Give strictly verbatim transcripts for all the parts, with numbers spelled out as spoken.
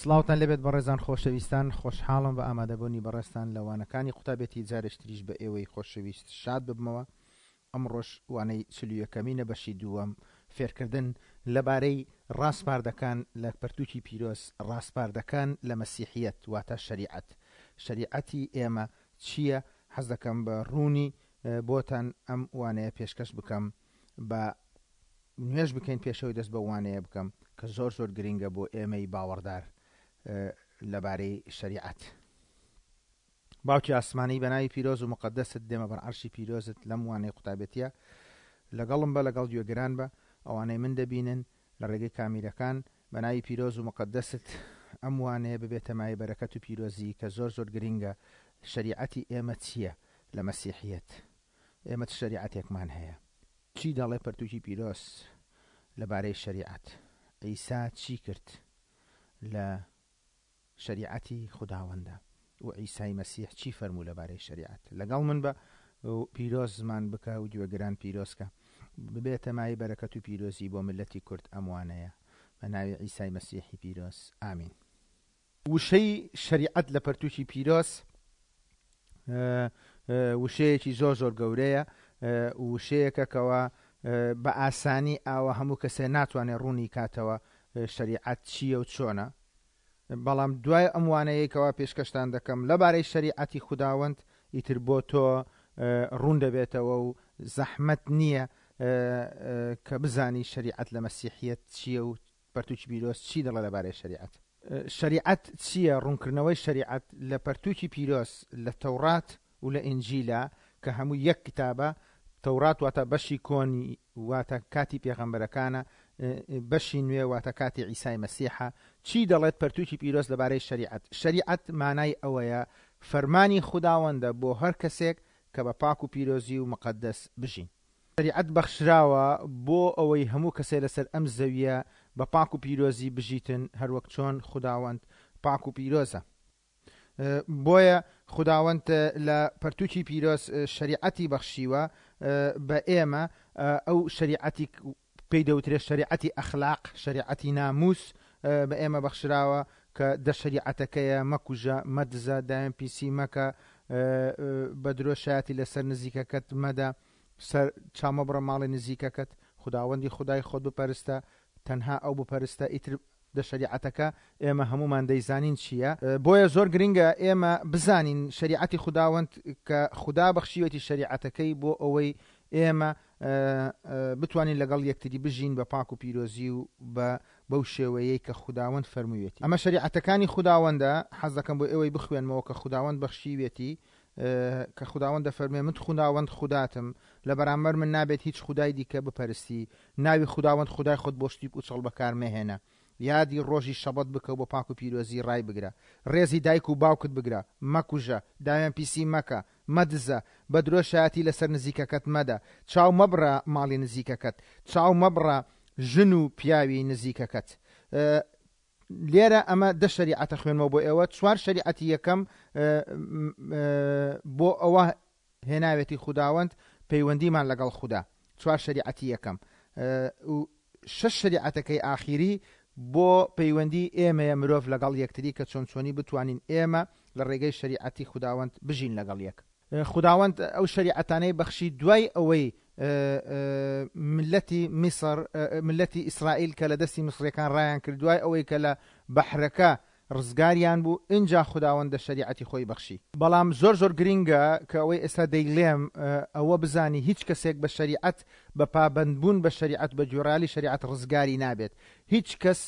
سڵاوتان لێبێت بەڕێزان خۆشەویستان، خۆشحاڵم بە ئامادەبوونی بەڕێزتان لە وانەکانی قوتابێتی جارێکتریش بە ئێوەی خۆشەویست شاد ببمەوە. ئەمڕۆش وانەی چل و یەکەمینە بەشی دووەم، فێرکردن لەبارەی ڕاسپاردەکان لە پەرتوکی پیرۆز، ڕاسپاردەکان لە مەسیحیەت واتە شەریعەت. شەریعەتی ئێمە چییە؟ حەز دەکەم بە ڕوونی بۆتان ئەم وانەیە پێشکەش بکەم. بە نوێژ بکەین پێشەوەی دەست بە وانەیە بکەم کە زۆر زۆر گرنگە بۆ ئێمەی باوەڕدار لەبارەی شەریعەت. باوکی ئاسمانی بە ناوی پیرۆز و مقدەست دێمە بەر عەرشی پیرۆزت لەم وانەی قوتابێتیە لەگەڵم بە، لەگەڵ گوێگران بە، ئەوانەی من دەبینن لە ڕێگەی کامیرەکان بە ناوی پیرۆز و مقدەست ئەم وانەیە ببێتە مایەی بەرەکەت و پیرۆزی کە زۆر زۆر گرنگە. شەریعەتی ئێمە چییە لە مەسیحیەت؟ ئێمە چ شەریعەتێکمان هەیە؟ چی دەڵێ پەرتوکی پیرۆز لەبارەی شەریعەت؟ عیسا چی کرد لە شەریعەتی خوداوەندە؟ و عیسای مەسیح چی فەرموو لەبارەی شەریعەت؟ لەگەڵ من بە پیرۆز زمان بکە و گوێگران پیرۆزکە، ببێتە مایەی بەرەکەت و پیرۆزی بۆ ملەتی کورد ئەم وانەیە بە ناوی عیسای مەسیحی پیرۆز، ئامین. وشەی شەریعەت لە پەرتوکی پیرۆز وشەیەکی زۆر زۆر گەورەیە، وشەیەکە کەوا بە ئاسانی ئاوە هەموو کەسێ ناتوانێت ڕوونی کاتەوە شەریعەت چییە و چۆنە. بەڵام دوای ئەم وانەیەی کەوا پێشکەشتان دەکەم لەبارەی شەریعەتی خوداوەند ئیتر بۆ تۆ ڕوون دەبێتەوە و زەحمەت نییە کە بزانی شەریعەت لە مەسیحیەت چییە و پەرتوکی پیرۆز چی دەڵێ لەبارەی شەریعەت. شەریعەت چییە؟ ڕوونکردنەوەی شەریعەت لە پەرتوکی پیرۆز لە تەورات و لە ئینجیلە کە هەموو یەک کتابە. تەورات واتە بەشی کۆنی واتە کاتی پێغەمبەرەکانە، بەشی نوێ واتە کاتی عیسای مەسیحە. چی دەڵێت پەرتوکی پیرۆز لەبارەی شەریعەت؟ شەریعەت مانای ئەوەیە فەرمانی خوداوەندە بۆ هەر کەسێک کە بە پاک و پیرۆزی و مقەدەس بژین. شەریعەت بەخشراوە بۆ ئەوەی هەموو کەسێ لەسەر ئەم زەویە بە پاک و پیرۆزی بژیتن، هەروەک چۆن خوداوەند پاک و پیرۆزە. بۆیە خوداوەند لە پەرتوکی پیرۆز شەریعەتی بەخشیوە بە ئێمە. ئەو شەریعەتی پێی دەوترێت شەریعەتی ئەخلاق، شەریعەتی ناموس بە ئێمە بەخشراوە کە دە شەریعەتەکەیە: مەکوژە، مەدزە، داوێن پیسی مەکە، بە درۆ شایەتی لەسەر نزیکەکەت مەدە، سەر چامەبڕە ماڵی نزیکەکەت، خوداوەندی خودای خۆت بپەرستە، تەنها ئەو بپەرستە. ئیتر دە شەریعەتەکە ئێمە هەمومان دەیزانین چییە. بۆیە زۆر گرنگە ئێمە بزانین شەریعەتی خوداوەند کە خودا بەخشیوێتی شەریعەتەکەی بۆ ئەوەی ئێمە بتوانین لەگەڵ یەکتری بژین بە پاک و پیرۆزی و بە بەو شێوەیەی کە خوداوەند فەرموویەتی. ئەمە شەریعەتەکانی خوداوەندە. حەز دەکەم بۆ ئێوەی بخوێنمەوە کە خوداوەند بەخشیوێتی، کە خوداوەند دەفەرمێ من خوداوەند خوداتم، لە بەرامبەر من نابێت هیچ خودای دیکە بپەرستی، ناوی خوداوەند خودای خۆت بۆ شتی پوچەڵ بەکارمەهێنە، یادی ڕۆژی شەبەت بکە و بە پاک و پیرۆزی ڕای بگرە، ڕێزی دایک و باوکت بگرە، مەکوژە، داوێن پیسی مەکە، مەدزە، بە درۆ شایەتی لەسەر نزیکەکەت مەدە، چاو مەبڕە ماڵی نزیکەکەت، چاو مەبڕە ژن و پیاوی نزیکەکەت. لێرە ئەمە دە شەریعەتە خوێنمەوە بۆ ئێوە. چوار شەریعەتی یەکەم بۆ ئەوە هێناوێتی خوداوەند پەیوەندیمان لەگەڵ خودا، چوار شەریعەتی یەکەم. و شەش شەریعەتەکەی ئاخیری بۆ پەیوەندی ئێمەیە مرۆڤ لەگەڵ یەکتری، کە چۆن چۆنی بتوانین ئێمە لە ڕێگەی شەریعەتی خوداوەند بژین لەگەڵ یەک. خوداوەند ئەو شەریعەتانەی بەخشی دوای ئەوەی ملەتی میسر، ملەتی ئیسرائیل کە لە دەستی میسریەکان ڕایان کرد، دوای ئەوەی کە لە بەحرەکە ڕزگاریان بوو، ئینجا خوداوەند شەریعەتی خۆی بەخشی. بەڵام زۆر زۆر گرنگە کە ئەوەی ئێستا دەیڵێم ئەوە بزانی هیچ کەسێک بە شەریعەت، بە پابەندبوون بە شەریعەت، بە گوێڕایەڵی شەریعەت ڕزگاری نابێت. هیچ کەس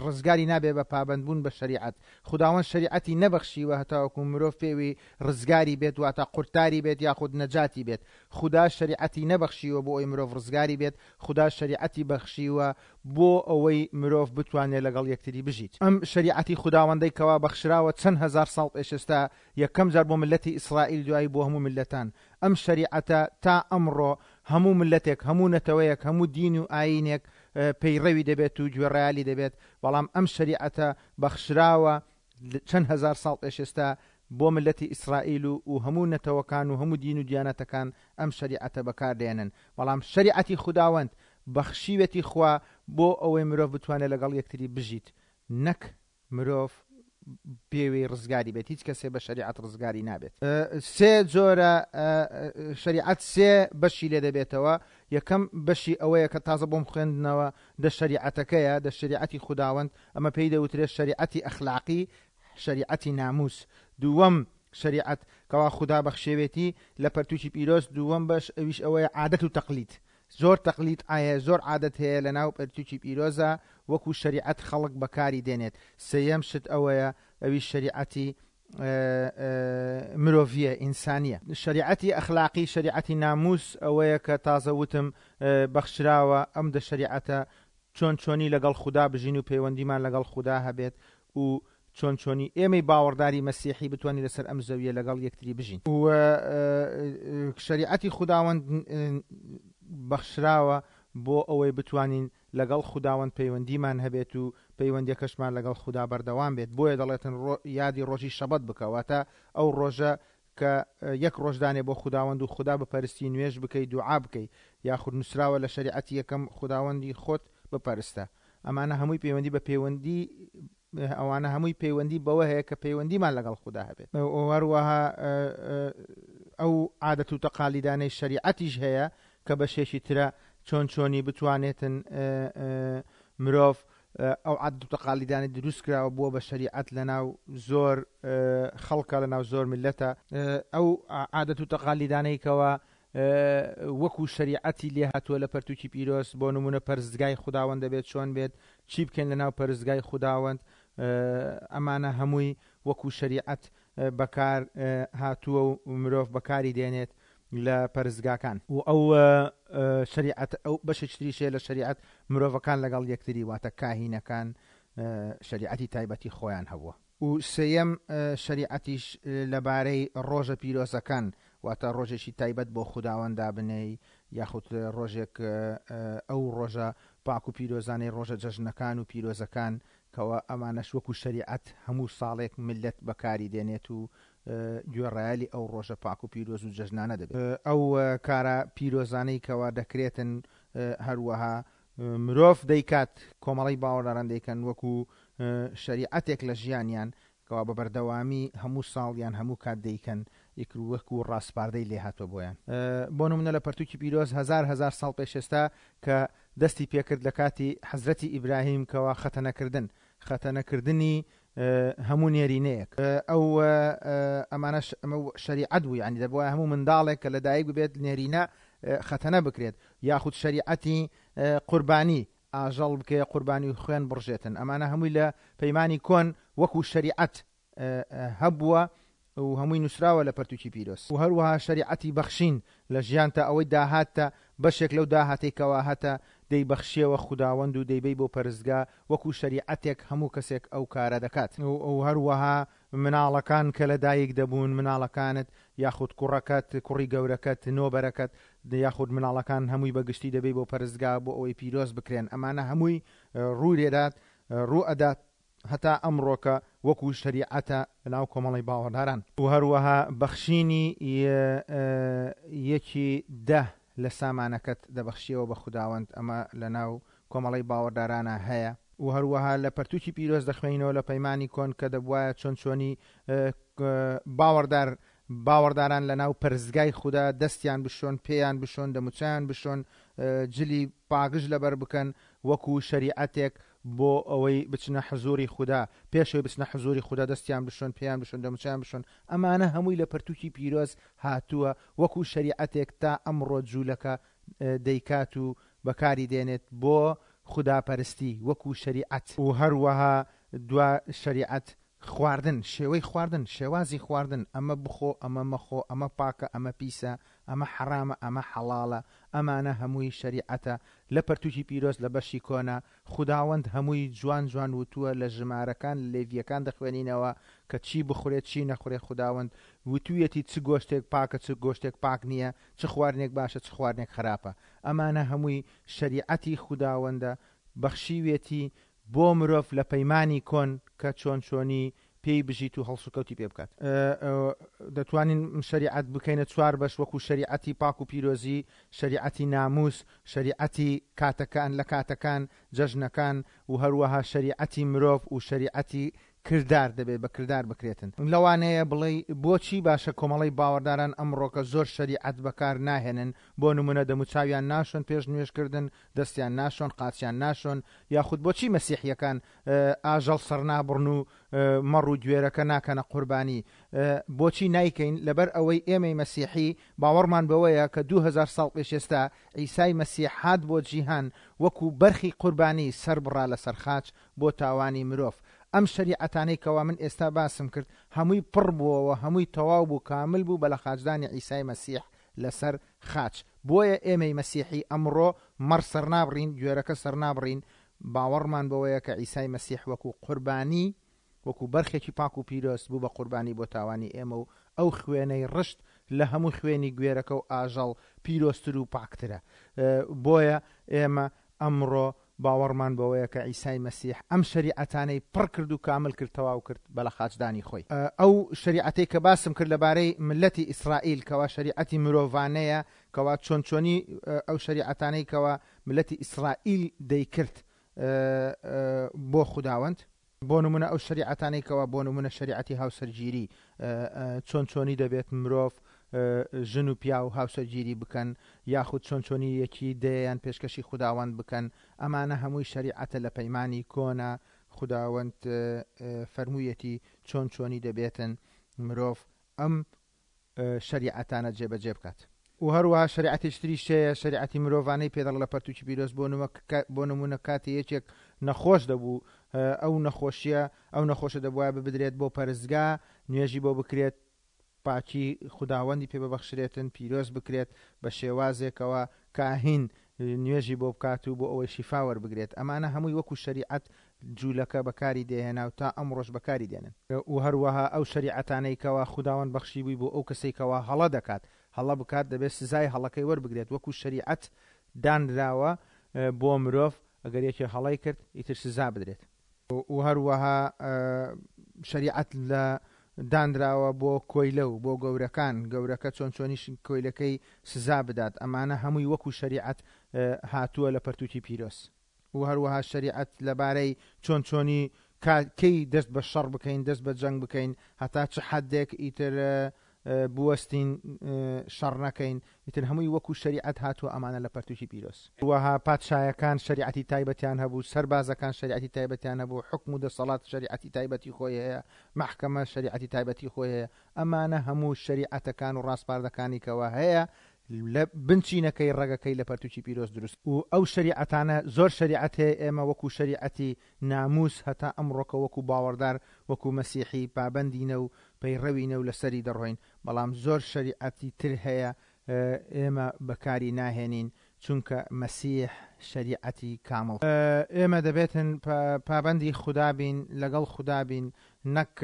ڕزگاری نابێت بە پابەندبوون بە شەریعەت. خوداوەند شەریعەتی نەبەخشیوە هەتاوەکو مرۆڤ پێوی ڕزگاری بێت، واتە قورتاری بێت یاخود نەجاتی بێت. خودا شەریعەتی نەبەخشیوە بۆ ئەوەی مرۆڤ ڕزگاری بێت، خودا شەریعەتی بەخشیوە بۆ ئەوەی مرۆڤ بتوانێت لەگەڵ یەکتری بژیت. ئەم شەریعەتی خوداوەندەی کەوا بەخشراوە چەند هەزار ساڵ پێش ئێستا یەکەم جار بۆ ملەتی ئیسرائیل، دوایی بۆ هەموو ملەتان. ئەم شەریعەتە تا ئەمڕۆ هەموو ملەتێک، هەموو نەتەوەیەک، هەموو دین و ئایینێک پەیڕەوی دەبێت و گوێڕایەلی دەبێت. بەڵام ئەم شەریعەتە بەخشراوە چەند هەزار ساڵ پێش ئێستا بۆ ملەتی ئیسرائیل و هەموو نەتەوەکان و هەموو دین و دیانەتەکان ئەم شەریعەتە بەکاردێنن. بەڵام شەریعەتی خوداوەند بەخشیوێتی خوا بۆ ئەوەی مرۆڤ بتوانێت لەگەڵ یەکتری بژیت، نەک مرۆڤ پێوەی ڕزگاری بێت، هیچ کەسێ بە شەریعەت ڕزگاری نابێت. سێ جۆرە شەریعەت سێ بەشی لێ دەبێتەوە. یەکەم بەشی ئەوەیە کە تازە بۆم خوێندنەوە دە شەریعەتەکەیە، دە شەریعەتی خوداوەند، ئەمە پێی دەوترێت شەریعەتی ئەخلاقی، شەریعەتی ناموس. دووەم شەریعەت کەوا خودا بەخشێوێتی لە پەرتوکی پیرۆز، دووەم بەش ئەویش ئەوەیە عادەت و تەقلید. زۆر تەقلید ئایا زۆر عادەت هەیە لە ناو پەرتوکی پیرۆزە وەکو شەریعەت خەڵک بەکاری دێنێت. سێیەم شت ئەوەیە ئەویش شەریعەتی مرۆڤیە، ئینسانیە. شەریعەتی ئەخلاقی، شەریعەتی ناموس ئەوەیە کە تازە وتم بەخشراوە ئەم دە شەریعەتە چۆن چۆنی لەگەڵ خودا بژین و پەیوەندیمان لەگەڵ خودا هەبێت و چۆن چۆنی ئێمەی باوەڕداری مەسیحی بتوانین لەسەر ئەم زەویە لەگەڵ یەکتری بژین. و شەریعەتی خوداوەند بەخشراوە بۆ ئەوەی بتوانین لەگەڵ خوداوەند پەیوەندیمان هەبێت و پەیوەندیەکەشمان لەگەڵ خودا بەردەوام بێت. بۆیە دەڵێتن یادی ڕۆژی شەبەت بکە، واتە ئەو ڕۆژە کە یەک ڕۆژدانێ بۆ خوداوەند و خودا بپەرستی، نوێژ بکەی، دوعا بکەی، یاخود نووسراوە لە شەریعەتی یەکەم خوداوەندی خۆت بپەرستە. ئەمانە هەمووی پەیوەندی بە پەیوەندی ئەوانە هەمووی پەیوەندی بەوە هەیە کە پەیوەندیمان لەگەڵ خودا هەبێت. هەروەها ئەو عادەت و تەقالیدانەی شەریعەتیش هەیە کە بەشێکی ترە چۆن چۆنی بتوانێتن مرۆڤ ئەو عادەت و تەقالیدانەی دروست کراوە بووە بە شەریعەت لەناو زۆر خەڵکە، لەناو زۆر میللەتە. ئەو عادەت و تەقالیدانەی کەوا وەکو شەریعەتی لێ هاتووە لە پەرتوکی پیرۆز، بۆ نمونە پەرستگای خوداوەند دەبێت چۆن بێت، چی بکەین لەناو پەرستگای خوداوەند، ئەمانە هەمووی وەکو شەریعەت بەکار هاتووە و مرۆڤ بەکاری دێنێت لە پەرستگاکان. و ئەو شەریعەت ئەو بەشێکی تریشەیە لە شەریعەت مرۆڤەکان لەگەڵ یەکتری، واتە کاهینەکان شەریعەتی تایبەتی خۆیان هەبووە. و سێیەم شەریعەتیش لەبارەی ڕۆژە پیرۆزەکان، واتە ڕۆژێکی تایبەت بۆ خوداوەند دابنێی، یاخود ڕۆژێک ئەو ڕۆژە پاک و پیرۆزانەی ڕۆژە جەژنەکان و پیرۆزەکان، کەوا ئەمانەش وەکو شەریعەت هەموو ساڵێک ملت بەکاری دێنێت و گوێڕایەلی ئەو ڕۆژە پاک و پیرۆز و جەژنانە دەبێت. ئەو کارە پیرۆزانەی کەوا دەکرێتن هەروەها مرۆڤ دەیکات، کۆمەڵەی باوەڕداران دەیکەن وەکو شەریعەتێک لە ژیانیان کەوا بە بەردەوامی هەموو ساڵ یان هەموو کات دەیکەن، وەکو ڕاسپاردەی لێهاتوە بۆیان. بۆ نمونە لە پەرتوکی پیرۆز هەزار هەزار ساڵ پێش ئێستا کە دەستی پێکرد لە کاتی حەزرەتی ئیبراهیم کەوا خەتەنەکردن، خەتەنەکردنی هەموو نێرینەیەک، ئەو ئەمانەش ئەمە شەریعەت بوو، یعنی دەبووە هەموو منداڵێک کە لەدایک ببێت نێرینە خەتەنە بکرێت، یاخود شەریعەتی قوربانی ئاژەڵ بکەیە قوربانی و خوێن بڕژێتن. ئەمانە هەمووی لە پەیمانی کۆن وەکو شەریعەت هەبووە و هەمووی نووسراوە لە پەرتوکی پیرۆز. و هەروەها شەریعەتی بەخشین لە ژیانتە ئەوەی داهاتە بەشێک لەو داهاتەی کەوا هەتە دەیبەخشیەوە خوداوەند و دەیبەی بۆ پەرستگا، وەکو شەریعەتێک هەموو کەسێک ئەو کارە دەکات. و هەروەها مناڵەکان کە لەدایک دەبوون، مناڵەکانت یاخود کوڕەکەت، کوڕی گەورەکەت، نۆبەرەکەت، یاخود مناڵەکان هەمووی بەگشتی دەبەی بۆ پەرستگا بۆ ئەوەی پیرۆز بکرێن. ئەمانە هەمووی ڕوو لێدات، ڕوو ئەدات هەتا ئەمڕۆکە وەکو شەریعەتە لەناو کۆمەڵی باوەڕداران. و هەروەها بەخشینی یەکی دە لە سامانەکەت دەبەخشیەوە بە خوداوەند، ئەمە لەناو کۆمەڵی باوەڕدارانە هەیە. و هەروەها لە پەرتوکی پیرۆز دەخوێنینەوە لە پەیمانی کۆن کە دەبوایە چۆن چۆنی باوەڕدار باوەڕداران لەناو پەرستگای خودا دەستیان بشۆن، پێیان بشۆن، دەموچیان بشۆن، جلی پاگژ لەبەر بکەن وەکو شەریعەتێک بۆ ئەوەی بچنە حزوری خودا، پێشەوەی بچنە حزوری خودا دەستیان بشۆن، پێیان بشۆن، دەموچیان بشۆن. ئەمانە هەمووی لە پەرتوکی پیرۆز هاتووە وەکو شەریعەتێک تا ئەمڕۆ جوولەکە دەیکات و بەکاری دێنێت بۆ خوداپەرستی وەکو شەریعەت. و هەروەها دوا شەریعەت خواردن، شێوەی خواردن، شێوازی خواردن، ئەمە بخۆ، ئەمە مەخۆ، ئەمە پاکە، ئەمە پیسە، ئەمە حەرامە، ئەمە حەڵاڵە، ئەمانە هەمووی شەریعەتە لە پەرتوکی پیرۆز لە بەشی کۆنا. خوداوەند هەمووی جوان جوان وتووە لە ژمارەکان لێڤیەکان دەخوێنینەوە کە چی بخورێت چی نەخورێت. خوداوەند وتوویەتی چ گۆشتێک پاکە چ گۆشتێک پاک نییە، چ خواردنێک باشە چ خواردنێک خراپە. ئەمانە هەمووی شەریعەتی خوداوەندە بەخشیوێتی بۆ مرۆڤ لە پەیمانی کۆن کە چۆن چۆنی پێی بژیت و هەڵسوکەوتی پێ بکات. دەتوانین شەریعەت بکەینە چوار بەش، وەکو شەریعەتی پاک و پیرۆزی، شەریعەتی ناموس، شەریعەتی کاتەکان لە کاتەکان، جەژنەکان، و هەروەها شەریعەتی مرۆڤ و شەریعەتی کردار دەبێت بە کردار بکرێتن. لەوانەیە بڵێ بۆچی باشە کۆمەڵەی باوەڕداران ئەمڕۆکە زۆر شەریعەت بەکار ناهێنن، بۆ نمونە دەموچاویان ناشۆن پێش نوێژکردن، دەستیان ناشۆن، قاچیان ناشۆن، یاخود بۆچی مەسیحیەکان ئاژەڵ سەرنابڕن و مەڕ و گوێرەکە ناکەنە قوربانی؟ بۆچی نایکەین؟ لەبەر ئەوەی ئێمەی مەسیحی باوەڕمان بەوەیە کە دوو هەزار ساڵ پێش ئێستا عیسای مەسیح هات بۆ جیهان وەکو بەرخی قوربانی سەربڕا لەسەر خاچ بۆ تاوانی مرۆڤ. ئەم شەریعەتانەی کەوا من ئێستا باسم کرد هەمووی پڕ بووەوە، هەمووی تەواو بوو، کامل بوو بە لە خاچدانی عیسای مەسیح لەسەر خاچ. بۆیە ئێمەی مەسیحی ئەمڕۆ مەڕ سەرنابڕین، گوێرەکە سەرنابڕین، باوەڕمان بەوەیە کە عیسای مەسیح وەکو قوربانی، وەکو بەرخێکی پاک و پیرۆز بوو بە قوربانی بۆ تاوانی ئێمە و ئەو خوێنەی ڕشت لە هەموو خوێنی گوێرەکە و ئاژەڵ پیرۆزتر و پاکترە. بۆیە ئێمە ئەمڕۆ باوەڕمان بەوەیە کە عیسای مەسیح ئەم شەریعەتانەی پڕ کرد و کامل کرد، تەواو کرد بە لە خاچدانی خۆی. ئەو شەریعەتەی کە باسم کرد لەبارەی ملەتی ئیسرائیل کەوا شەریعەتی مرۆڤانەیە، کەوا چۆن چۆنی ئەو شەریعەتانەی کەوا ملەتی ئیسرائیل دەیکرد بۆ خوداوەند، بۆ نمونە ئەو شەریعەتانەی کەوا بۆ نمونە شەریعەتی هاوسەرگیری، چۆن چۆنی دەبێت مرۆڤ ژن و پیا و هاوسەرگیری بکەن، یاخود چۆن چۆنی یەکی دەیان پێشکەشی خوداوەند بکەن، ئەمانە هەمووی شەریعەتە لە پەیمانی کۆنە. خوداوەند فەرموویەتی چۆن چۆنی دەبێتن مرۆڤ ئەم شەریعەتانە جێبەجێ بکات. و هەروەها شەریعەتیش تریش هەیە، شەریعەتی مرۆڤانەی پێدەڵ لە پەرتوکی پیرۆز. بۆ نمونە کاتی یەکێک نەخۆش دەبوو، ئەو نەخۆشیە ئەو نەخۆشە دەبوایە ببدرێت بۆ پەرستگا، نوێژی بۆ بکرێت، پاکی خوداوەندی پێ ببەخشرێتن، پیرۆز بکرێت بە شێوازێکەوە کاهین نوێژی بۆ بکات و بۆ ئەوەی شیفا وەربگرێت. ئەمانە هەمووی وەکو شەریعەت جوولەکە بەکاری دێهێنا و تا ئەمڕۆژ بەکاری دێنن. و هەروەها ئەو شەریعەتانەی کەوا خوداوەند بەخشی بووی بۆ ئەو کەسەی کەوا هەڵە دەکات، هەڵە بکات دەبێت سزای هەڵەکەی وەربگرێت، وەکو شەریعەت دانراوە بۆ مرۆڤ ئەگەر یەکێ هەڵەی کرد ئیتر سزا بدرێت. و هەروەها شەریعەت لە دانراوە بۆ کۆیلە و بۆ گەورەکان، گەورەکە چۆن چۆنیش کۆیلەکەی سزا بدات. ئەمانە هەمووی وەکو شەریعەت هاتووە لە پەرتوکی پیرۆز. و هەروەها شەریعەت لەبارەی چۆن چۆنی کەی دەست بە شەڕ بکەین، دەست بە جەنگ بکەین، هەتا چ حدێک ئیتر بوەستین شەڕ نەکەین، ئیتر هەمووی وەکو شەریعەت هاتووە ئەمانە لە پەرتوکی پیرۆز. وەها پادشایەکان شەریعەتی تایبەتیان هەبوو، سەربازەکان شەریعەتی تایبەتیان هەبوو، حکم و دەسەڵات شەریعەتی تایبەتی خۆی هەیە، مەحکەمە شەریعەتی تایبەتی خۆی هەیە. ئەمانە هەموو شەریعەتەکان و ڕاسپاردەکانی کەوە هەیە لە بنچینەکەی ڕەگەکەی لە پەرتوکی پیرۆز دروست. و ئەو شەریعەتانە زۆر شەریعەت هەیە ئێمە وەکو شەریعەتی ناموس هەتا ئەمڕۆکە وەکو باوەڕدار وەکو مەسیحی پابەندینە و پەیڕەوینە و لەسەری دەڕۆین، بەڵام زۆر شەریعەتی تر هەیە ئێمە بەکاری ناهێنین چونکە مەسیح شەریعەتی کامڵ. ئێمە دەبێتن پابەندی خودا بین، لەگەڵ خودا بین، نەک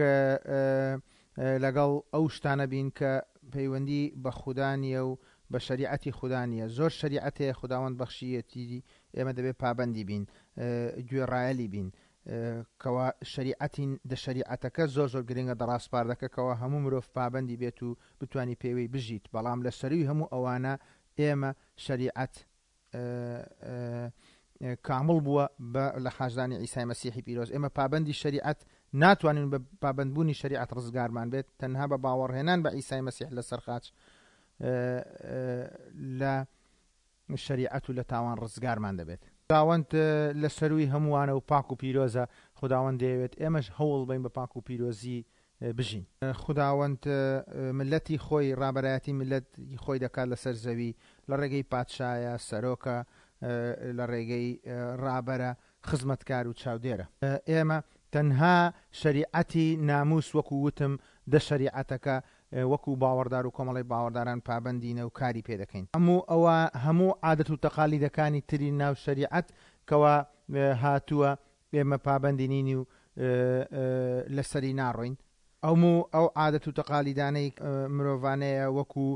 لەگەڵ ئەو شتانە بین کە پەیوەندی بە خودا نییە و بە شەریعەتی خودا نییە. زۆر شەریعەت هەیە خوداوەند بەخشیەتی، ئێمە دەبێت پابەندی بین، گوێڕایەلی بین. کەوا شەریعەتی دە شەریعەتەکە زۆر زۆر گرنگە، دەڕاسپاردەکە کەوا هەموو مرۆڤ پابەندی بێت و بتوانی پێوەی بژیت. بەڵام لە سەروی هەموو ئەوانە ئێمە شەریعەت کامڵ بووە بە لە خاچدانی عیسای مەسیحی پیرۆز. ئێمە پابەندی شەریعەت ناتوانین بە پابەندبوونی شەریعەت ڕزگارمان بێت، تەنها بە باوەڕهێنان بە عیسای مەسیح لەسەر خاچ لە شەریعەت و لە تاوان ڕزگارمان دەبێت. خوداوەند لە سەروی هەمووانە و پاک و پیرۆزە، خوداوەند دەیەوێت ئێمەش هەوڵ بین بە پاک و پیرۆزی بژین. خوداوەند ملەتی خۆی، ڕابەرایەتی ملەتی خۆی دەکات لەسەر زەوی، لە ڕێگەی پادشایە، سەرۆکە، لە ڕێگەی ڕابەرە، خزمەتکار و چاودێرە. ئێمە تەنها شەریعەتی ناموس وەکو وتم دە شەریعەتەکە وەکو باوەڕدار و کۆمەڵی باوەڕداران پابەندینە و کاری پێ دەکەین. هەموو ئەوە هەموو عادەت و تەقالیدەکانی تری ناو شەریعەت کەوا هاتووە ئێمە پابەندی نین و لەسەری ناڕۆین. ئەومو ئەو عادەت و تەقالیدانەی مرۆڤانەیە وەکو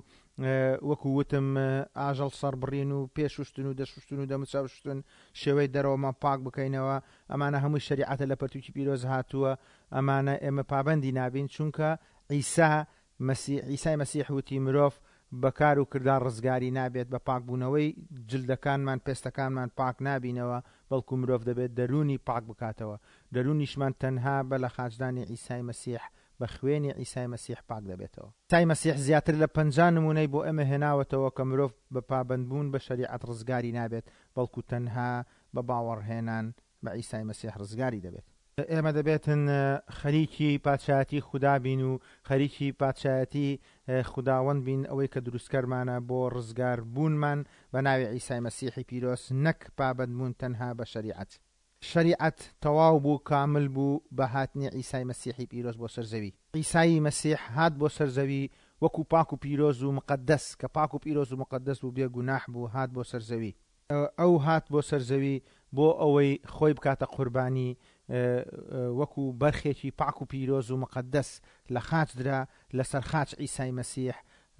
وەکو وتم ئاژەڵ سەربڕین و پێشوشتن و دەشوشتن و دەموچاوشتن، شێوەی دەرەوەمان پاک بکەینەوە، ئەمانە هەمووی شەریعەتە لە پەرتوکی پیرۆز هاتووە. ئەمانە ئێمە پابەندی نابین، چونکە عیسا مەسیح عیسای مەسیح وتی مرۆڤ بەکار و کردار ڕزگاری نابێت، بە پاکبوونەوەی جلدەکانمان پێستەکانمان پاک نابینەوە، بەڵکو مرۆڤ دەبێت دەروونی پاک بکاتەوە. دەروونیشمان تەنها بە لە خاچدانی عیسای مەسیح، بە خوێنی عیسای مەسیح پاک دەبێتەوە. عیسای مەسیح زیاتر لە پەنجا نمونەی بۆ ئێمە هێناوەتەوە کە مرۆڤ بە پابەندبوون بە شەریعەت ڕزگاری نابێت، بەڵکو تەنها بە باوەڕهێنان بە عیسای مەسیح ڕزگاری دەبێت. ئێمە دەبێتن خەریکی پادشایەتی خودا بین و خەریکی پادشایەتی خوداوەند بین، ئەوەی کە دروستکەرمانە بۆ ڕزگار بوونمان بە ناوی عیسای مەسیحی پیرۆز، نەک پابەندبوون تەنها بە شەریعەت. شەریعەت تەواو بوو، کامل بوو بە هاتنی عیسای مەسیحی پیرۆز بۆ سەر زەوی. عیسای مەسیح هات بۆ سەر زەوی وەکو پاک و پیرۆز و مقەدەس، کە پاک و پیرۆز و مقەدەس بوو، بێ گوناح بوو، هات بۆ سەر زەوی. ئەو هات بۆ سەر زەوی بۆ ئەوەی خۆی بکاتە قوربانی وەکو بەرخێکی پاک و پیرۆز و مقەدەس لە خاچ درا. لەسەر خاچ عیسای مەسیح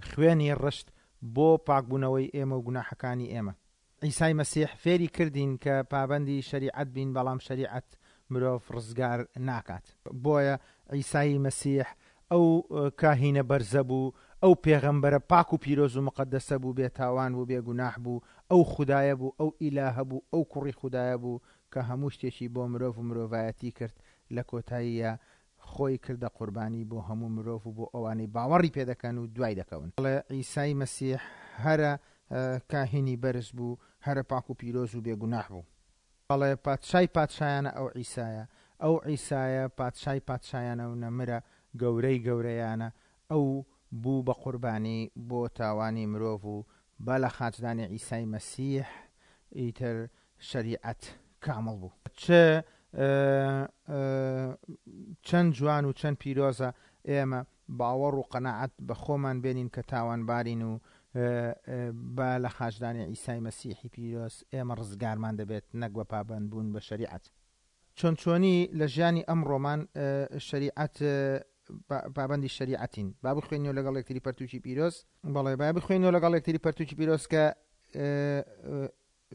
خوێنی ڕشت بۆ پاکبوونەوەی ئێمە و گوناحەکانی ئێمە. عیسای مەسیح فێری کردین کە پابەندی شەریعەت بین، بەڵام شەریعەت مرۆڤ ڕزگار ناکات. بۆیە عیسای مەسیح ئەو کاهینە بەرزە بوو، ئەو پێغەمبەرە پاک و پیرۆز و مقەدەسە بوو، بێتاوان بوو، بێگوناح بوو، ئەو خودایە بوو، ئەو ئیلاهە بوو، ئەو کوڕی خودایە بوو کە هەموو شتێکی بۆ مرۆڤ و مرۆڤایەتی کرد. لە کۆتاییە خۆی کردە قوربانی بۆ هەموو مرۆڤ و بۆ ئەوانەی باوەڕی پێدەکەن و دوای دەکەون. بەڵێ عیسای مەسیح هەرە کاهینی بەرز بوو، هەرە پاک و پیرۆز و بێگوناح بوو. بەڵێ پادشای پادشایانە ئەو عیسایە، ئەو عیسایە پادشای پادشایانە و نەمرە گەورەی گەورەیانە. ئەو بوو بە قوربانی بۆ تاوانی مرۆڤ و بە لە خاچدانی عیسای مەسیح ئیتر شەریعەت کامڵ بوو. چ چەند جوان و چەند پیرۆزە ئێمە باوەڕ و قەناعەت بە خۆمان بێنین کە تاوانبارین و بە لە خاچدانی عیسای مەسیحی پیرۆز ئێمە ڕزگارمان دەبێت، نەک بە پابەندبوون بە شەریعەت. چۆن چۆنی لە ژیانی ئەمڕۆمان شەریعەت پابەندی شەریعەتین. با بخوێنیەوە لەگەڵ یەکتری پەرتوکی پیرۆز. بەڵێ با بخوێنیەوە لەگەڵ یەکتری پەرتوکی پیرۆز کە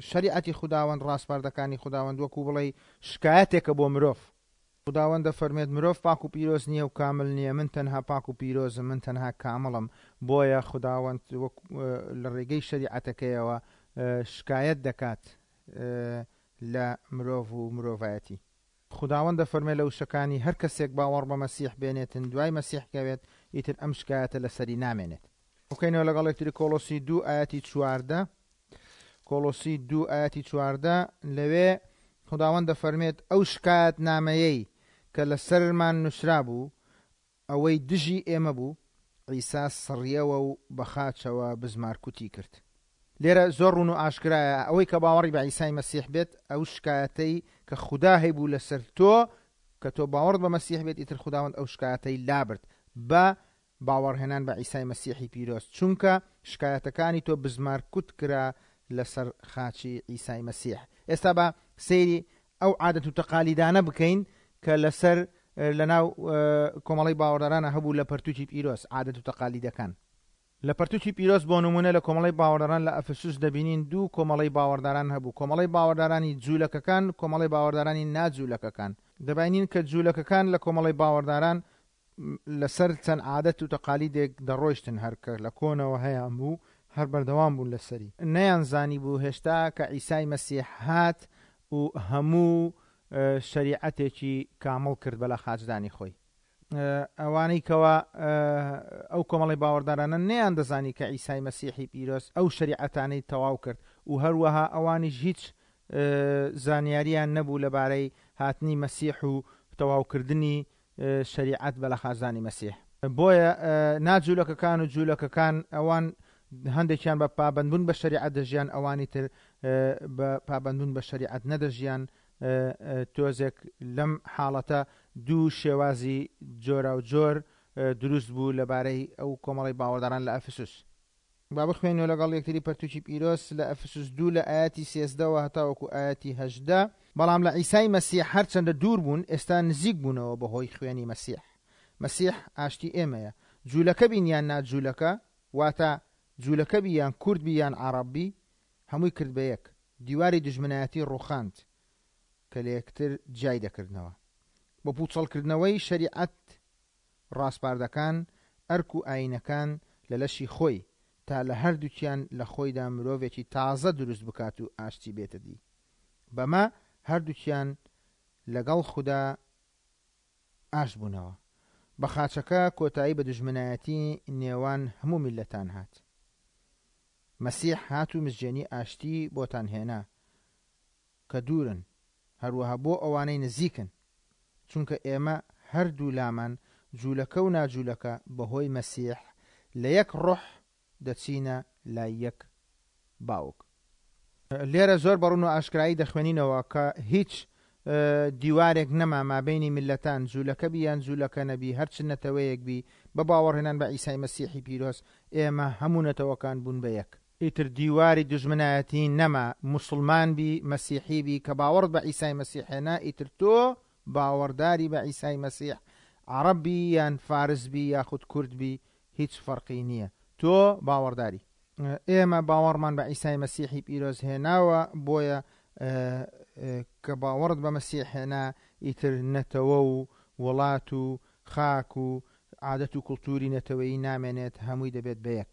شەریعەتی خوداوەند، ڕاسپاردەکانی خوداوەند وەکو بڵێ شکایەتێکە بۆ مرۆڤ. خوداوەند دەفەرمێت مرۆڤ پاک و پیرۆز نییە و کامل نییە، من تەنها پاک و پیرۆزم، من تەنها کامڵم. بۆیە خوداوەند لە ڕێگەی شەریعەتەکەیەوە شکایەت دەکات لە مرۆڤ و مرۆڤایەتی. خوداوەند دەفەرمێ لە وشەکانی هەر کەسێک باوەڕ بە مەسیح بێنێتن دوای مەسیح کەوێت، ئیتر ئەم شکایەتە لەسەری نامێنێت. بکەینەوە لەگەڵ یەکتری کۆلۆسی دوو ئایەتی چواردە. کۆلۆسی دوو ئایەتی چواردە، لەوێ خوداوەند دەفەرمێت ئەو شکایەت نامەیەی کە لەسەرمان نووسرا بوو، ئەوەی دژی ئێمە بوو، عیسا سڕیەوە و بە خاچەوە بزمارکوتی کرد. لێرە زۆر ڕوون و ئاشکرایە ئەوەی کە باوەڕی بە عیسای مەسیح بێت، ئەو شکایەتەی کە خودا هەیبوو لەسەر تۆ، کە تۆ باوەڕت بە مەسیح بێت، ئیتر خوداوەند ئەو شکایەتەی لابرد بە باوەڕهێنان بە عیسای مەسیحی پیرۆز، چونکە شکایەتەکانی تۆ بزمارکوت کرا لەسەر خاچی عیسای مەسیح. ئێستا با سەیری ئەو عادەت و تەقالیدانە بکەین کە لەسەر لەناو کۆمەڵەی باوەڕدارانە هەبوو لە پەرتوکی پیرۆز، عادەت و تەقالیدەکان. لە پەرتوکی پیرۆز بۆ نمونە لە کۆمەڵەی باوەڕداران لە ئەفسوس دەبینین دوو کۆمەڵەی باوەڕداران هەبوو، کۆمەڵەی باوەڕدارانی جوولەکەکان، کۆمەڵەی باوەڕدارانی ناجوولەکەکان. دەبینین کە جوولەکەکان لە کۆمەڵەی باوەڕداران لەسەر چەند عادەت و تەقالیدێک دەڕۆیشتن، هەر کە لە کۆنەوە هەیان بوو هەر بەردەوام بوون لەسەری. نەیانزانی بوو هێشتا کە عیسای مەسیح هات و هەموو شەریعەتێکی کامڵ کرد بە لە خاچدانی خۆی. ئەوانەی کەوا ئەو کۆمەڵی باوەڕدارانە نەیان دەزانی کە عیسای مەسیحی پیرۆز ئەو شەریعەتانەی تەواو کرد و هەروەها ئەوانیش هیچ زانیاریان نەبوو لەبارەی هاتنی مەسیح و تەواوکردنی شەریعەت بە لە خاچدانی مەسیح. بۆیە ناجوولەکەکان و جوولەکەکان ئەوان هەندێکیان بە پابەندبوون بە شەریعەت دەژیان، ئەوانی تر بە پابەندبوون بە شەریعەت نەدەژیان. تۆزێک لەم حاڵەتە دوو شێوازی جۆرا و جۆر دروست بوو لەبارەی ئەو کۆمەڵی باوەڕداران لە ئەفسوس. با بخوێنەوە لەگەڵ یەکتری پەرتوکی پیرۆز لە ئەفسوس دوو لە ئایەتی سێزدەوە هەتاوەکو ئایەتی هەژدە. بەڵام لە عیسای مەسیح هەرچەندە دوور بوون، ئێستا نزیک بوونەوە بەهۆی خوێنی مەسیح. مەسیح ئاشتی ئێمەیە. جوولەکە بین یان ناجوولەکە، واتە جوولەکە بی یان کورد بی یان عەرەب بی، هەمووی کرد بە یەک. دیواری دوژمنایەتی ڕووخاند کە لە یەکتر جیای دەکردنەوە. بۆ پوچەڵکردنەوەی شەریعەت ڕاسپاردەکان، ئەرک و ئاینەکان لە لەشی خۆی، تا لە هەردووکیان لە خۆیدا مرۆڤێکی تازە دروست بکات و ئاشتی بێتە دی. بەمە هەردووکیان لەگەڵ خودا ئاش بوونەوە. بە خاچەکە کۆتایی بە دوژمنایەتی نێوان هەموو میللەتان هات. مەسیح هات و مزگێنی ئاشتی بۆتان هێنا کە دوورن، هەروەها بۆ ئەوانەی نزیکن، چونکە ئێمە هەردوو لامان جوولەکە و ناجوولەکە بەهۆی مەسیح لە یەک ڕۆح دەچینە لای یەک باوک. لێرە زۆر بەڕوون و ئاشکرایی دەخوێنینەوە کە هیچ دیوارێک نەما مابینی میللەتان، جوولەکە بی یان جوولەکە نەبی، هەرچ نەتەوەیەک بی، بە باوەڕهێنان بە عیسای مەسیحی پیرۆز ئێمە هەموو نەتەوەکان بوون بە یەک. ئیتر دیواری دوژمنایەتی نەما، موسڵمان بی مەسیحی بی کە باوەڕت بە عیسای مەسیح هێنا، ئیتر تۆ باوەڕداری بە عیسای مەسیح، عەرەب بی یان فارس بی یاخود کورد بی، هیچ فەرقی نییە، تۆ باوەڕداری. ئێمە باوەڕمان بە عیسای مەسیحی پیرۆز هێناوە، بۆیە کە باوەڕت بە مەسیح هێنا ئیتر نەتەوە و وڵات و خاک و عادەت و کولتوری نەتەوەیی نامێنێت، هەمووی دەبێت بە یەک.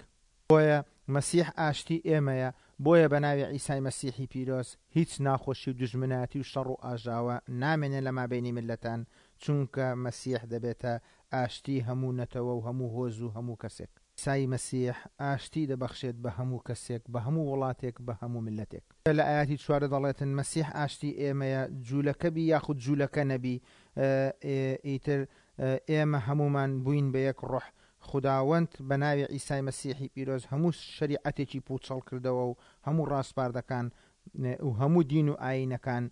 بۆیە مەسیح ئاشتی ئێمەیە، بۆیە بە ناوی عیسای مەسیحی پیرۆز هیچ ناخۆشی و دوژمنایەتی و شەڕ و ئاژاوە نامێنێت لە مابینی میللەتان، چونکە مەسیح دەبێتە ئاشتی هەموو نەتەوە و هەموو هۆز و هەموو کەسێک. عیسای مەسیح ئاشتی دەبەخشێت بە هەموو کەسێک، بە هەموو وڵاتێک، بە هەموو میللەتێک. لە ئاياتی چوارە دەڵێتن مەسیح ئاشتی ئێمەیە، جوولەکە بی یاخود جوولەکە نەبی، ئیتر ئێمە هەمومان بووین بە یەک ڕۆح. خداوەند بە ناوی عیسای مەسیحی پیرۆز هەموو شەریعەتێکی پوچەڵ کردەوە و هەموو ڕاسپاردەکان و هەموو دین و ئاینەکان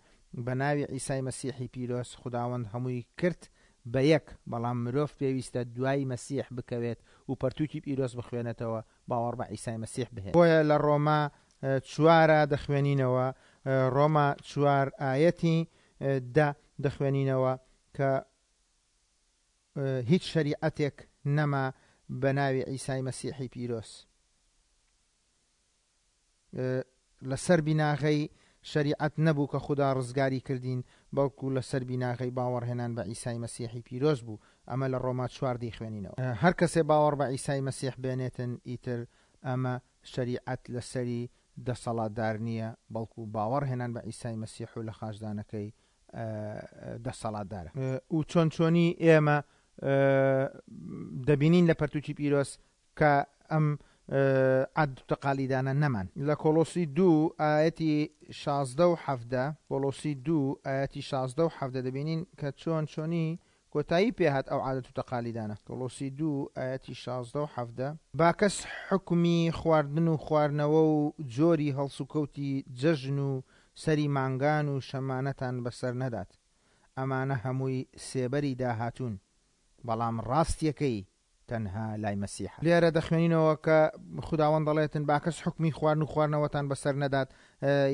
بە ناوی عیسای مەسیحی پیرۆز خداوەند هەمووی کرد بە یەک. بەڵام مرۆڤ پێویستە دوای مەسیح بکەوێت و پەرتووکی پیرۆز بخوێنێتەوە، باوەڕ بە عیسای مەسیح بهێنێت. بۆیە لە ڕۆما چوارە دەخوێنینەوە، ڕۆما چوار ئایەتی دە دەخوێنینەوە کە هیچ شەریعەتێک نەما بە ناوی عیسای مەسیحی پیرۆز. لەسەر بیناغەی شەریعەت نەبوو کە خودا ڕزگاری کردین، بەڵکو لەسەر بیناغەی باوەڕهێنان بە عیسای مەسیحی پیرۆز بوو. ئەمە لە ڕۆما چوار دەیخوێنینەوە. هەر کەسێ باوەڕ بە عیسای مەسیح بێنێتن، ئیتر ئەمە شەریعەت لەسەری دەسەڵاتدار نییە، بەڵکو باوەڕهێنان بە عیسای مەسیح و لە خاچدانەکەی دەسەڵاتدارە. و چۆن چۆنی ئێمە دەبینین لە پەرتوکی پیرۆز کە ئەم عەد و تەقالیدانە نەمان. لە کۆلۆسی دوو ئایەتی شازدە و حەفدە، کۆلۆسی دوو ئایەتی شازدە و حەفدە دەبینین کە چۆن چۆنی کۆتایی پێهات ئەو عادەت و تەقالیدانە. کۆلۆسی دوو ئایەتی شازدە و حەفدە: با کەس حکمی خواردن و خواردنەوە و جۆری هەڵسوکەوتی جەژن و سەری مانگان و شەمانەتان بەسەر نەدات، ئەمانە هەمووی سێبەری داهاتوون، بەڵام ڕاستیەکەی تەنها لای مەسیحە. لێرە دەخوێنینەوە کە خداوەند دەڵێتن با کەس حکمی خواردن و خواردنەوەتان بەسەر نەدات،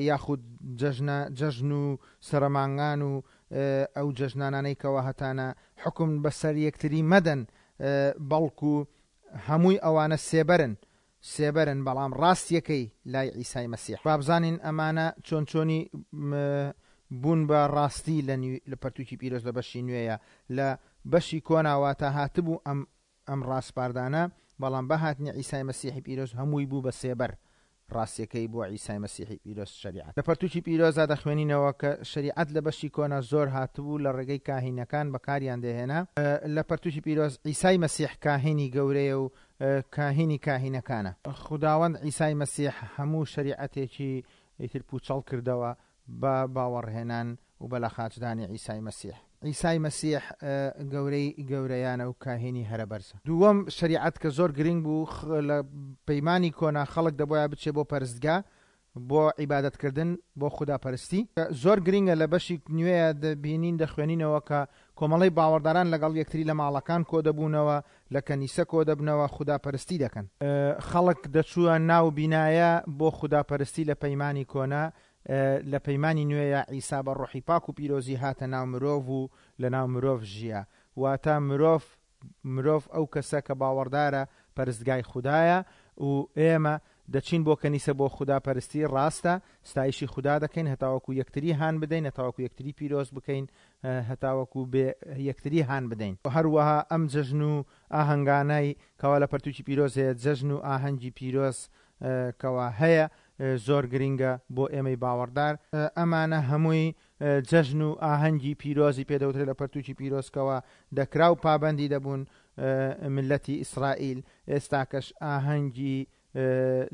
یاخود جەژنە جەژن و سەرەمانگان و ئەو جەژنانانەی کەوە هەتانە حکم بەسەر یەکتری مەدەن، بەڵکو هەمووی ئەوانە سێبەرن سێبەرن، بەڵام ڕاستیەکەی لای عیسای مەسیح. بابزانین ئەمانە چۆن چۆنی بوون بە ڕاستی لە پەرتوکی پیرۆز لە بەشی نوێیە. لە بەشی کۆناوە تا هاتبوو ئەم ئەم ڕاسپاردانە، بەڵام بەهاتنی عیسای مەسیحی پیرۆز هەمووی بوو بە سێبەر، ڕاستیەکەی بۆ عیسای مەسیحی پیرۆز شەریعەت. لە پەرتوکی پیرۆزدا دەخوێنینەوە کە شەریعەت لە بەشی کۆنا زۆر هاتبوو، لە ڕێگەی کاهینەکان بەکاریان دەهێنا. لە پەرتوکی پیرۆز عیسای مەسیح کاهینی گەورەیە و کاهینی کاهینەکانە. خداوەند عیسای مەسیح هەموو شەریعەتێکی ئیتر پوچەڵ کردەوە بە باوەڕهێنان و بە لە خاچدانی عیسای مەسیح. عیسای مەسیح گەورەی گەورەیانە و کاهینی هەرە بەرزە. دووەم شەریعەت کە زۆر گرنگ بوو لە پەیمانی کۆنا، خەڵک دەبوایە بچێ بۆ پەرستگا بۆ عیبادەتکردن بۆ خوداپەرستی. زۆر گرنگە لە بەشی نوێیە دەبینین دەخوێنینەوە کە کۆمەڵەی باوەڕداران لەگەڵ یەکتری لە ماڵەکان کۆ دەبوونەوە، لە کەنیسە کۆ دەبنەوە، خوداپەرستی دەکەن. خەڵک دەچووە ناو بینایە بۆ خوداپەرستی لە پەیمانی کۆنا. لە پەیمانی نوێیە عیسا بە ڕۆحی پاک و پیرۆزی هاتە ناو مرۆڤ و لە ناو مرۆڤ ژیە. واتە مرۆڤ مرۆڤ ئەو کەسە کە باوەڕدارە پەرستگای خودایە و ئێمە دەچین بۆ کەنیسە بۆ خودا پەرستی، ڕاستە ستایشی خودا دەکەین هەتاوەکو یەکتری هان بدەین، هەتاوەکو یەکتری پیرۆز بکەین، هەتاوەکو بێ یەکتری هان بدەین. هەروەها ئەم جەژن و ئاهەنگانەی کەوا لە پەرتوکی پیرۆز هەیە، جەژن و ئاهەنگی پیرۆز کەوا هەیە زۆر گرنگە بۆ ئێمەی باوەڕدار. ئەمانە هەمووی جەژن و ئاهەنگی پیرۆزی پێدەوترێت لە پەرتوکی پیرۆزکەوە دەکرا و پابەندی دەبوون ملەتی ئیسرائیل. ئێستاکەش ئاهەنگی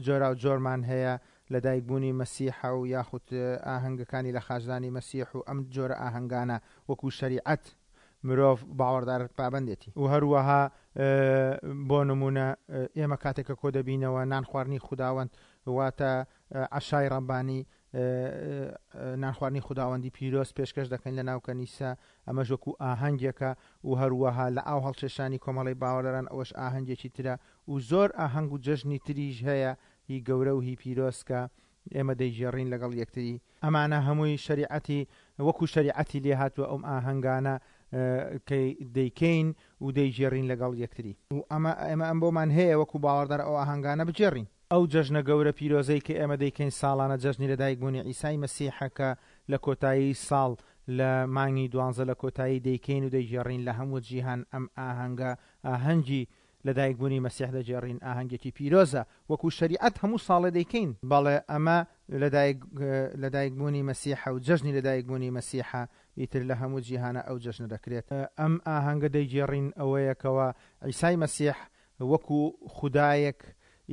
جۆرا و جۆرمان هەیە لە دایکبوونی مەسیحە و یاخود ئاهەنگەکانی لە خاچدانی مەسیح و ئەم جۆرە ئاهەنگانە وەکو شەریعەت مرۆڤ باوەڕدار پابەندێتی. و هەروەها بۆ نمونە ئێمە کاتێکە کۆ دەبینەوە نان خواردنی خوداوەند، واتە عەشای ڕەبانی، نان خواردنی خوداوەندی پیرۆز پێشکەش دەکەین لە ناو کەنیسە، ئەمەش وەکو ئاهەنگێکە. و هەروەها لە ئاو هەڵکێشانی کۆمەڵی باوەڕداران ئەوەش ئاهەنگێکی ترە و زۆر ئاهەنگ و جەژنی تریش هەیە هی گەورە و هی پیرۆز کە ئێمە دەیگێڕین لەگەڵ یەکتری. ئەمانە هەمووی شەریعەتی وەکو شەریعەتی لێ هاتووە ئەم ئاهەنگانە کە دەیکەین و دەیگێڕین لەگەڵ یەکتری. و ئەمە ئێمە ئەم بۆمان هەیە وەکو باوەڕدار ئەو ئاهەنگانە بگێڕین. ئەو جەژنە گەورە پیرۆزەی کە ئێمە دەیکەین ساڵانە جەژنی لەدایکبوونی عیسای مەسیحە کە لە کۆتایی ساڵ لە مانگی دوانزە لە کۆتایی دەیکەین و دەیگێڕین لە هەموو جیهان. ئەم ئاهەنگە ئاهەنگی لەدایکبوونی مەسیح دەگێڕین، ئاهەنگێکی پیرۆزە وەکو شەریعەت هەموو ساڵێ دەیکەین. بەڵێ ئەمە لەدایکبوونی مەسیحە و جەژنی لەدایکبوونی مەسیحە، ئیتر لە هەموو جیهانە ئەو جەژنە دەکرێت. ئەم ئاهەنگە دەیگێڕین ئەوەیەکەوە عیسای مەسیح وەکو خودایەک،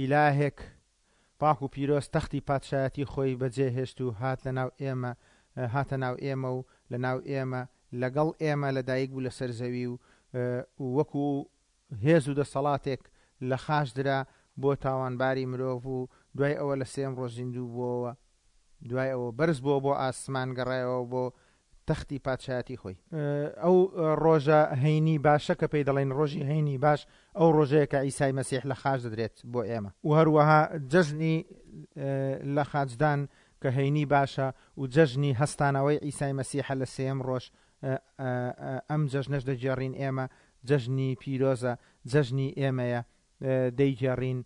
ئیلاهێک پاک و پیرۆز تەختی پادشایەتی خۆی بەجێهێشت و هات لە ناو ئێمە، هاتە ناو ئێمە و لە ناو ئێمە لەگەڵ ئێمە لەدایک بوو لەسەر زەوی و وەکو هێز و دەسەڵاتێک لە خاچ درا بۆ تاوانباری مرۆڤ و دوای ئەوە لە سێم ڕۆژ زیندوو بووەوە، دوای ئەوە بەرز بووە بۆ ئاسمان، گەڕایەوە بۆ تەختی پادشایەتی خۆی. ئەو ڕۆژە هەینی باشە کە پێی دەڵێن ڕۆژی هەینی باش، ئەو ڕۆژەیە کە عیسای مەسیح لە خاچ دەدرێت بۆ ئێمە. و هەروەها جەژنی لە خاچدان کە هەینی باشە و جەژنی هەستانەوەی عیسای مەسیحە لە سێم ڕۆژ، ئەم جەژنەش دەگێڕین ئێمە، جەژنی پیرۆزە، جەژنی ئێمەیە، دەیگێڕین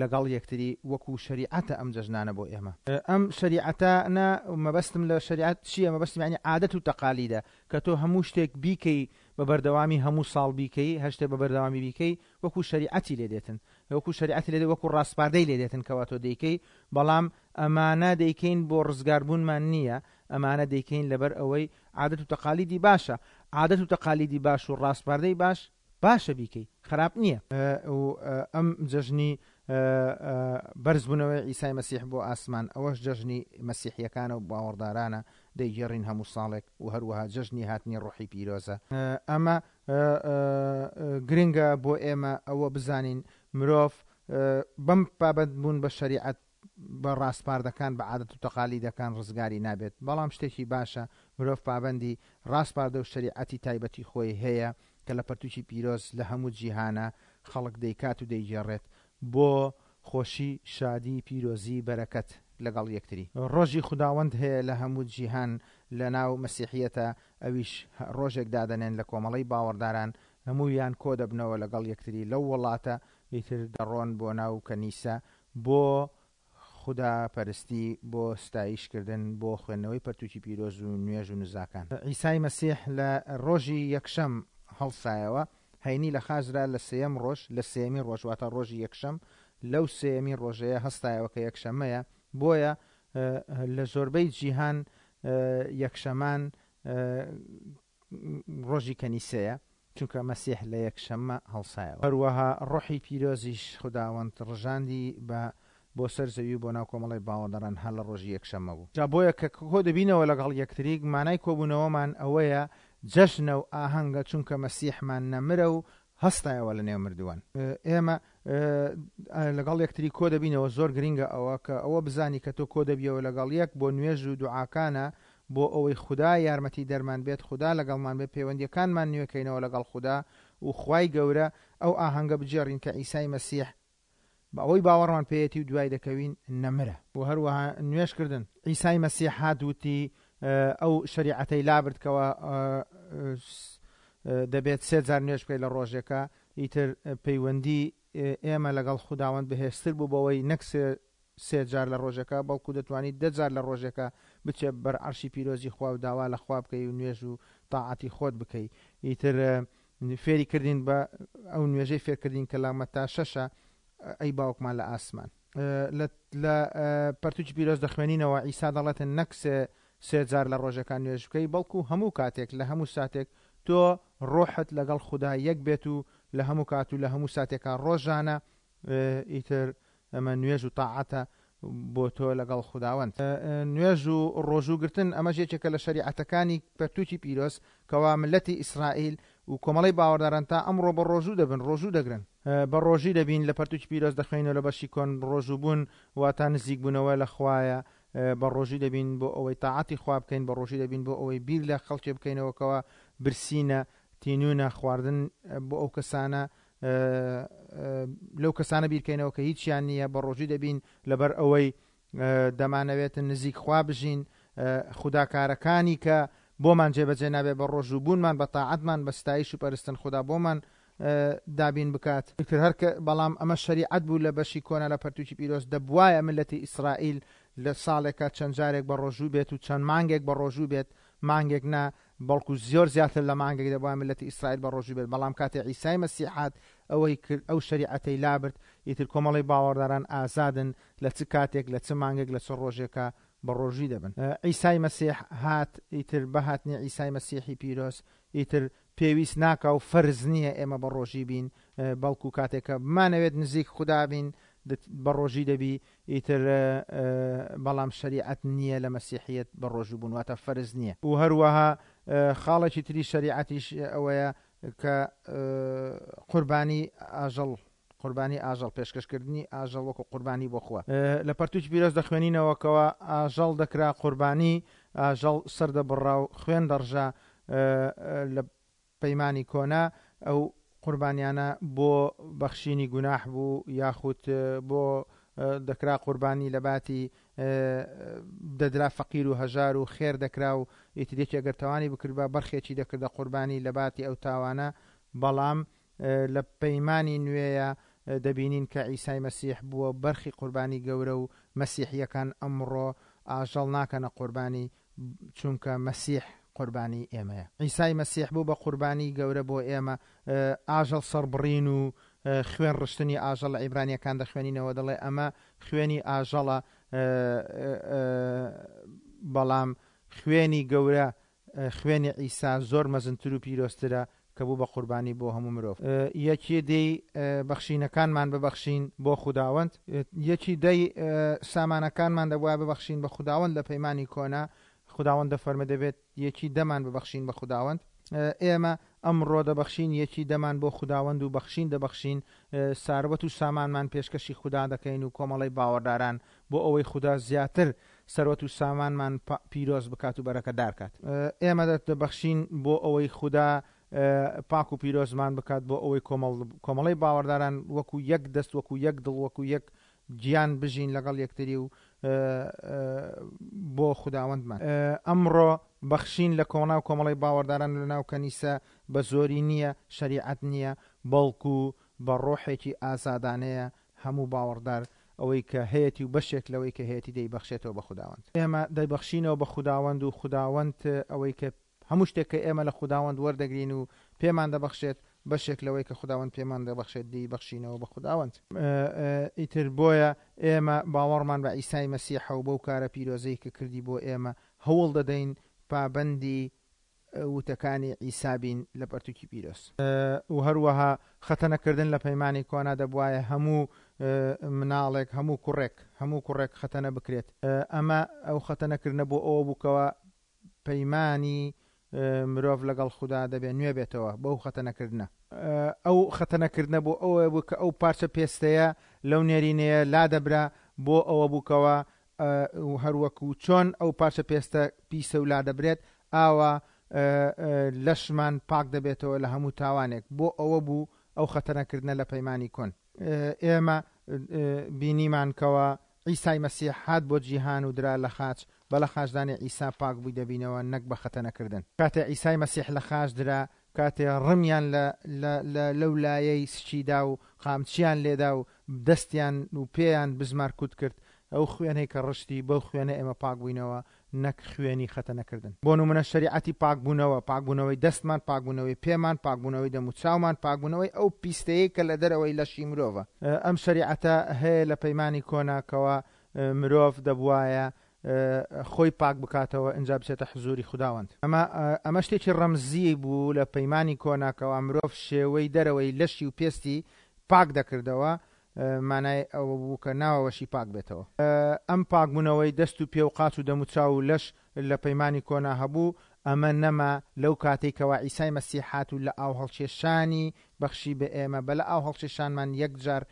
لەگەڵ یەکتری وەکو شەریعەتە ئەم جەژنانە بۆ ئێمە. ئەم شەریعەتانە مەبەستم لە شەریعەت چییە؟ مەبەستم یعنی عادەت و تەقالیدە کە تۆ هەموو شتێک بیکەی بە بەردەوامی، هەموو ساڵ بیکەی، هەر شتێک بە بەردەوامی بیکەی وەکو شەریعەتی لێ دێتن، وەکو شەریعەتی لێ دێت، وەکو ڕاسپاردەی لێ دێتن کەوا تۆ دەیکەی. بەڵام ئەمانە دەیکەین بۆ ڕزگاربوونمان نییە، ئەمانە دەیکەین لەبەر ئەوەی عادەت و تەقالیدی باشە. عادەت و تەقالیدی باش و ڕاسپاردەی باش باشە بیکەی، خراپ نییە. ئەم جەژنی بەرزبوونەوەی عیسای مەسیح بۆ ئاسمان، ئەوەش جەژنی مەسیحیەکانە و باوەڕدارانە دەیگێڕین هەموو ساڵێک. و هەروەها جەژنی هاتنی ڕۆحی پیرۆزە. ئەمە گرنگە بۆ ئێمە ئەوە بزانین مرۆڤ بەم پابەندبوون بە شەریعەت، بە ڕاسپاردەکان، بە عادەت و تەقالیدەکان ڕزگاری نابێت. بەڵام شتێکی باشە مرۆڤ پابەندی ڕاسپاردە و شەریعەتی تایبەتی خۆی هەیە کە لە پەرتوکی پیرۆز لە هەموو جیهانە خەڵک دەیکات و دەیگێڕێت بۆ خۆشی، شادی، پیرۆزی، بەرەکەت لەگەڵ یەکتری. ڕۆژی خوداوەند هەیە لە هەموو جیهان لە ناو مەسیحیەتە، ئەویش ڕۆژێک دادەنێن لە کۆمەڵەی باوەڕداران، هەموویان کۆ دەبنەوە لەگەڵ یەکتری لەو وڵاتە، ئیتر دەڕۆن بۆ ناو کەنیسە بۆ خودا پەرستی، بۆ ستایشکردن، بۆ خوێندنەوەی پەرتوکی پیرۆز و نوێژ و نزاکان. عیسای مەسیح لە ڕۆژی یەکشەم هەڵسایەوە، هەینی لە خاچدا لە سێیەم ڕۆژ، لە سێیەمین ڕۆژ واتە ڕۆژی یەکشەم، لەو سێیەمین ڕۆژەیە هەستایەوە کە یەکشەمەیە. بۆیە لە زۆربەی جیهان یەکشەمان ڕۆژی کەنیسەیە، چونکە مەسیح لە یەکشەممە هەڵسایەوە. هەروەها ڕۆحی پیرۆزیش خوداوەند ڕژاندی بە بۆ سەر زەوی و بۆ ناو کۆمەڵی باوەڕداران هەر لە ڕۆژی یەکشەممە بوو. جا بۆیە کە کۆ دەبینەوە لەگەڵ یەکتری، مانای کۆبوونەوەمان ئەوەیە جەژنە و ئاهەنگە، چونکە مەسیحمان نەمرە و هەستایەوە لە نێو مردووان. ئێمە لەگەڵ یەکتری کۆ دەبینەوە. زۆر گرنگە ئەوە کە ئەوە بزانی کە تۆ کۆ دەبیەوە لەگەڵ یەک بۆ نوێژ و دوعاکانە، بۆ ئەوەی خودا یارمەتی دەرمان بێت، خودا لەگەڵمان بێت، پەیوەندیەکانمان نوێکەینەوە لەگەڵ خودا و خوای گەورە ئەو ئاهەنگە بگێڕین کە عیسای مەسیح بە ئەوەی باوەڕمان پێیەتی و دوای دەکەوین نەمرە. و هەروەها نوێژکردن، عیسای مەسیح هات وتی ئەو شەریعەتەی لابرد کەوە دەبێت سێ جار نوێژ بکەیت لە ڕۆژێکە، ئیتر پەیوەندی ئێمە لەگەڵ خوداوەند بەهێزتر بوو بەوەی نەک سێ جار لە ڕۆژەکە، بەڵکو دەتوانیت دە جار لە ڕۆژەکە بچێت بەر عەرشی پیرۆزی خوا و داوا لە خوا بکەی و نوێژ و تاعەتی خۆت بکەی. ئیتر فێری کردین بە ئەو نوێژەی فێرکردین کە لە مەتا شەشە ئەی باوکمان لە ئاسمان. لە پەرتوکی پیرۆز دەخوێنینەوە عیسا دەڵێتن نەک سێ جار لە ڕۆژەکان نوێژ بکەی، بەڵکو هەموو کاتێک لە هەموو ساتێک تۆ ڕۆحت لەگەڵ خودا یەک بێت و لە هەموو کات و لە هەموو ساتێکا ڕۆژانە ئیتر ئەمە نوێژ و تاعەتە بۆ تۆ لەگەڵ خوداوەند. نوێژ و ڕۆژووگرتن ئەمەش یەکێکە لە شەریعەتەکانی پەرتوکی پیرۆز کەوا ملەتی ئیسرائیل و کۆمەڵەی باوەڕداران تا ئەمڕۆ بە ڕۆژوو دەبن، ڕۆژوو دەگرن. بە ڕۆژی دەبین لە پەرتوکی پیرۆز دەخوێنەوە لە بەشی کۆن ڕۆژوو بوون واتا نزیک بوونەوە لە خوایە. بە ڕۆژی دەبین بۆ ئەوەی تاعەتی خوا بکەین، بە ڕۆژی دەبین بۆ ئەوەی بیر لە خەڵکێ بکەینەوە کەوا برسینە، تینوونە، خواردن بۆ ئەو کەسانە لەو کەسانە بیرکەینەوە کە هیچیان نییە. بە ڕۆژی دەبین لەبەر ئەوەی دەمانەوێتن نزیک خوا بژین، خوداکارەکانی کە بۆمان جێبەجێ نابێت بە ڕۆژوو بوونمان، بە تاعەتمان، بە ستایش و پەرستن خودا بۆمان دابین بکات. ئیتر هەر کە بەڵام ئەمە شەریعەت بوو لە بەشی کۆنا لە پەرتوکی پیرۆز، دەبوایە ملەتی ئیسرائیل لە ساڵێکە چەند جارێک بە ڕۆژوو بێت و چەند مانگێک بە ڕۆژوو بێت، مانگێک نا بەڵکو زۆر زیاتر لە مانگێک دەبوایە ملەتی ئیسرائیل بە ڕۆژوو بێت. بەڵام کاتێ عیسای مەسیح هات ئەوەی کرد، ئەو شەریعەتەی لابرد، ئیتر کۆمەڵی باوەڕداران ئازادن لە چ کاتێک، لە چ مانگێک، لە چ ڕۆژێکە بە ڕۆژی دەبن. عیسای مەسیح هات، ئیتر بەهاتنی عیسای مەسیحی پیرۆز ئیتر پێویست ناکا و فەرز نییە ئێمە بە ڕۆژی بین، بەڵکو کاتێکە بمانەوێت نزیک خودا بین بە ڕۆژی دەبی. ئیتر بەڵام شەریعەت نییە لە مەسیحیەت بە ڕۆژوو بوون، واتە فەرز نییە. و هەروەها خاڵێکی تری شەریعەتیش ئەوەیە کە قوربانی ئاژەڵ، قوربانی ئاژەڵ، پێشکەشکردنی ئاژەڵ وەکو قوربانی بۆ خوا. لە پەرتوکی پیرۆز دەخوێنینەوە کەوا ئاژەڵ دەکرا قوربانی، ئاژەڵ سەردەبڕا و خوێن دەڕژا. لە پەیمانی کۆنا ئەو قوربانیانە بۆ بەخشینی گوناح بوو، یاخود بۆ دەکرا قوربانی لە باتی دەدرا فەقیر و هەژار و خێر دەکرا و ئیتر یەکێ ئەگەر تاوانی بکردبا بەرخێکی دەکردە قوربانی لە باتی ئەو تاوانە. بەڵام لە پەیمانی نوێیە دەبینین کە عیسای مەسیح بووە بەرخی قوربانی گەورە و مەسیحیەکان ئەمڕۆ ئاژەڵ ناکەنە قوربانی، چونکە مەسیح قوربانی ئێمەیە. عیسای مەسیح بوو بە قوربانی گەورە بۆ ئێمە. ئاژەڵ سەربڕین و خوێن ڕشتنی ئاژەڵ لە عیبرانیەکان دەخوێنینەوە دەڵێ ئەمە خوێنی ئاژەڵە، بەڵام خوێنی گەورە، خوێنی عیسا زۆر مەزنتر و پیرۆزترە کە بوو بە قوربانی بۆ هەموو مرۆڤ. یەکی دەی بەخشینەکانمان ببەخشین بۆ خوداوەند، یەکی دەی سامانەکانمان دەبوایە ببەخشین بە خوداوەند لە پەیمانی کۆنا. خوداوەند دەفەرمێ دەبێت یەکی دەمان ببەخشین بە خوداوەند. ئێمە ئەمڕۆ دەبەخشین یەکی دەمان بۆ خوداوەند و بەخشین دەبەخشین، ساروەت و سامانمان پێشکەشی خودا دەکەین و کۆمەڵی باوەڕداران بۆ ئەوەی خودا زیاتر سەروەت و سامانمان پیرۆز بکات و بەرەکەدار کات. ئێمە دەبەخشین بۆ ئەوەی خودا پاک و پیرۆزمان بکات، بۆ ئەوەی کۆمەڵی باوەڕداران وەکو یەک دەست، وەکو یەک دڵ، وەکو یەک گیان بژین لەگەڵ یەکتری و بۆ خوداوەندمان. ئەمڕۆ بەخشین لە کۆنا و کۆمەڵی باوەڕداران لە ناو کەنیسە بە زۆری نییە، شەریعەت نییە، بەڵکو بە ڕۆحێکی ئازادانەیە هەموو باوەڕدار ئەوەی کە هەیەتی و بەشێک لەوەی کە هەیەتی دەیبەخشێتەوە بە خوداوەند. ئێمە دەیبەخشینەوە بە خوداوەند و خوداوەند ئەوەی کە هەموو شتێک کە ئێمە لە خوداوەند وەردەگرین و پێمان دەبەخشێت، بەشێک لەوەی کە خوداوەند پێمان دەبەخشێت دەیبەخشینەوە بە خوداوەند. ئیتر بۆیە ئێمە باوەڕمان بە عیسای مەسیحە و بەو کارە پیرۆزەی کە کردی بۆ ئێمە هەوڵ دەدەین پابەندی وتەکانی عیسا بین لە پەرتوکی پیرۆز. و هەروەها خەتەنەکردن لە پەیمانی کۆنا دەبوایە هەموو مناڵێک، هەموو کوڕێک، هەموو کوڕێک خەتەنە بکرێت. ئەمە ئەو خەتەنەکردنە بۆ ئەوە بووکەوە پەیمانی مرۆڤ لەگەڵ خودا دەبێت نوێ بێتەوە بەو خەتەنەکردنە. ئەو خەتەنەکردنە بۆ ئەوە بوو کە ئەو پارچە پێستەیە لەو نێرینەیە لا دەبرا، بۆ ئەوە بووکەوە هەروەکو چۆن ئەو پارچە پێستە پیسە و لا دەبرێت، ئاوا لەشمان پاک دەبێتەوە لە هەموو تاوانێک. بۆ ئەوە بوو ئەو خەتەنەکردنە لە پەیمانی کۆن. ئێمە بینیمان کەوە عیسای مەسیح هات بۆ جیهان و درا لە خاچ، بە لە خاچدانی عیسا پاک بووی دەبینەوە نەک بە خەتەنەکردن. کاتێ عیسای مەسیح لە خاچ درا، کاتێ ڕمیان لە لەو لایەی سچیدا و قامچیان لێدا و دەستیان و پێیان بزمار کوت کرد، ئەو خوێنەی کە ڕشتی بەو خوێنە ئێمە پاک بووینەوە نەک خوێنی خەتەنەکردن. بۆ نمونە شەریعەتی پاکبوونەوە، پاکبوونەوەی دەستمان، پاکبوونەوەی پێمان، پاکبوونەوەی دەم و چاومان، پاکبوونەوەی ئەو پیستەیە کە لە دەرەوەی لەشی مرۆڤە. ئەم شەریعەتە هەیە لە پەیمانی کۆناکەوە مرۆڤ دەبوایە خۆی پاک بکاتەوە ئینجا بچێتە حزوری خوداوەند. ئەمە ئەمە شتێکی ڕەمزی بوو لە پەیمانی کۆناکەوە، مرۆڤ شێوەی دەرەوەی لەشی و پێستی پاک دەکردەوە، مانای ئەوە بوو کە ناوەوەشی پاک بێتەوە. ئەم پاکبوونەوەی دەست و پێ و قاچ و دەم و چاو و لەش لە پەیمانی کۆنا هەبوو، ئەمە نەما لەو کاتێک کەوا عیسای مەسیح هات و لە ئاو هەڵکێشانی بەخشی بە ئێمە، بە لە ئاو هەڵکێشانمان یەکجار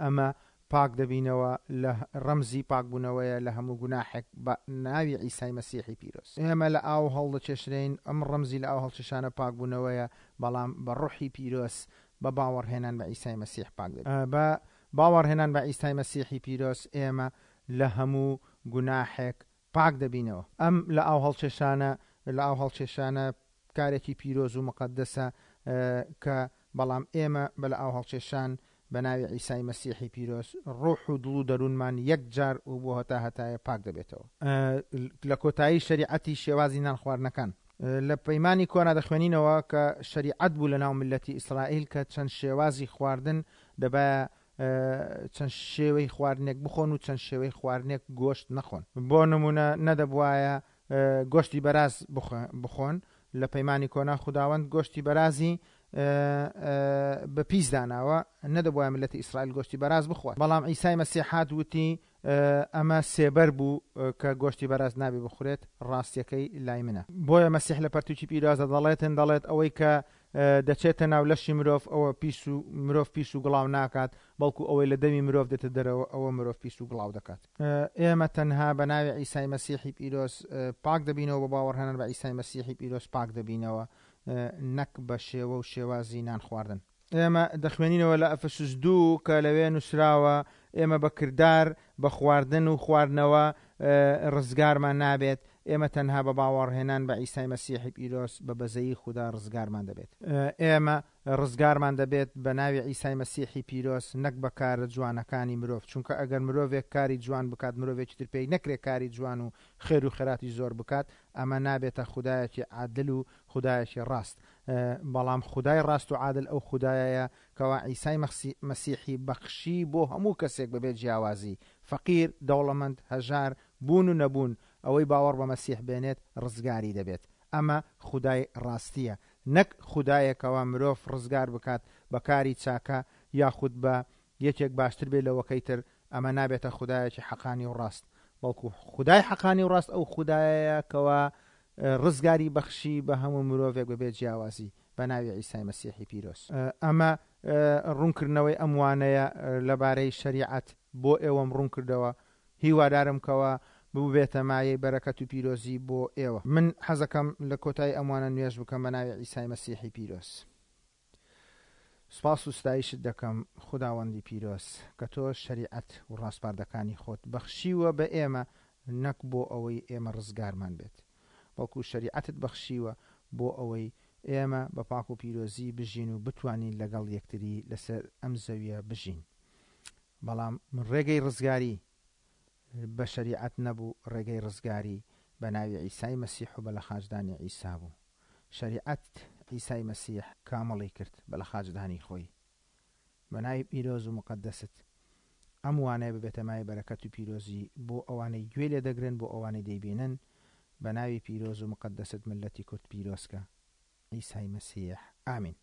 ئەمە پاک دەبینەوە، لە ڕەمزی پاکبوونەوەیە لە هەموو گوناحێک بە ناوی عیسای مەسیحی پیرۆز. ئێمە لە ئاو هەڵدەکێشرین، ئەم ڕەمزی لە ئاو هەڵکێشانە پاکبوونەوەیە، بەڵام بە ڕۆحی پیرۆز بە باوەڕهێنان بە عیسای مەسیح پاک دەبین. بە باوەڕهێنان بە عیسای مەسیحی پیرۆز ئێمە لە هەموو گوناحێک پاک دەبینەوە. ئەم لە ئاو هەڵکێشانە لە ئاو هەڵکێشانە کارێکی پیرۆز و مقەدەسە کە بەڵام ئێمە بە لە ئاو هەڵکێشان بە ناوی عیسای مەسیحی پیرۆز ڕۆح و دڵ و دەروونمان یەک جار و بۆ هەتا هەتایە پاک دەبێتەوە. لە کۆتایی شەریعەتی شێوازی نان خواردنەکان لە پەیمانی کۆنا دەخوێنینەوە کە شەریعەت بوو لە ناو ملەتی ئیسرائیل کە چەند شێوازی خواردن دەبایە چەند شێوەی خواردنێک بخۆن و چەند شێوەی خواردنێک گۆشت نەخۆن. بۆ نمونە نەدەبوایە گۆشتی بەراز بخۆن. لە پەیمانی کۆنا خوداوەند گۆشتی بەرازی بە پیس داناوە، نەدەبوایە ملەتی ئیسرائیل گۆشتی بەراز بخوات. بەڵام عیسای مەسیح هات وتی ئەمە سێبەر بوو کە گۆشتی بەراز نابێ بخورێت، ڕاستیەکەی لای منە. بۆیە مەسیح لە پەرتوکی پیرۆزە دەڵێتن، دەڵێت ئەوەی کە دەچێتە ناو لەشی مرۆڤ ئەوە پیس و مرۆڤ پیس و گڵاو ناکات، بەڵکو ئەوەی لە دەمی مرۆڤ دێتە دەرەوە ئەوە مرۆڤ پیس و گڵاو دەکات. ئێمە تەنها بە ناوی عیسای مەسیحی پیرۆز پاک دەبینەوە، بە باوەڕهێنان بە عیسای مەسیحی پیرۆز پاک دەبینەوە، نەک بە شێوە و شێوازی نان خواردن. ئێمە دەخوێنینەوە لە ئەفەسوس دوو کە لەوێ نووسراوە ئێمە بە کردار بە خواردن و خواردنەوە ڕزگارمان نابێت، ئێمە تەنها بە باوەڕهێنان بە عیسای مەسیحی پیرۆز بە بەزەیی خودا ڕزگارمان دەبێت. ئێمە ڕزگارمان دەبێت بە ناوی عیسای مەسیحی پیرۆز، نەک بە کارە جوانەکانی مرۆڤ، چونکە ئەگەر مرۆڤێک کاری جوان بکات مرۆڤێکی تر پێی نەکرێت کاری جوان و خێر و خێراتی زۆر بکات، ئەمە نابێتە خودایەکی عادل و خودایەکی ڕاست. بەڵام خودای ڕاست و عادل ئەو خودایەیە کەوا عیسای مەسیحی بەخشی بۆ هەموو کەسێک بەبێت جیاوازی، فەقیر، دەوڵەمەند، هەژار، بوون و نەبوون، ئەوەی باوەڕ بە مەسیح بێنێت ڕزگاری دەبێت. ئەمە خودای ڕاستیە، نەک خودایەکەوە مرۆڤ ڕزگار بکات بە کاری چاکە یاخود بە یەکێک باشتر بێت لەوەکەی تر، ئەمە نابێتە خودایەکی حەقانی و ڕاست، بەڵکو خودای حەقانی و ڕاست ئەو خودایەیە کەوا ڕزگاری بەخشی بە هەموو مرۆڤێک بەبێت جیاوازی بە ناوی عیسای مەسیحی پیرۆز. ئەمە ڕوونکردنەوەی ئەم وانەیە لەبارەی شەریعەت بۆ ئێوەم ڕوون کردەوە. هیوادارم کەوا ببێتە مایەی بەرەکەت و پیرۆزی بۆ ئێوە. من حەزەکەم لە کۆتایی ئەموانە نوێژ بکەم بە ناوی عیسای مەسیحی پیرۆز. سپاس و ستایشت دەکەم خوداوەندی پیرۆز کە تۆ شەریعەت و ڕاسپاردەکانی خۆت بەخشیوە بە ئێمە، نەک بۆ ئەوەی ئێمە ڕزگارمان بێت، بەڵکو شەریعەتت بەخشیوە بۆ ئەوەی ئێمە بە پاک و پیرۆزی بژین و بتوانین لەگەڵ یەکتری لەسەر ئەم زەویە بژین. بەڵام ڕێگەی ڕزگاری بە شەریعەت نەبوو، ڕێگەی ڕزگاری بە ناوی عیسای مەسیح و بە لە خاچدانی عیسا بوو. شەریعەت عیسای مەسیح کامڵی کرد بە لە خاچدانی خۆی. بە ناوی پیرۆز و مقەدەست ئەم وانەیە ببێتە مایەی بەرەکەت و پیرۆزی بۆ ئەوانەی گوێ لێ دەگرن، بۆ ئەوانەی دەیبینن. بە ناوی پیرۆز و مقەدەست ملەتی کورد پیرۆزکە. عیسای مەسیح، ئامین.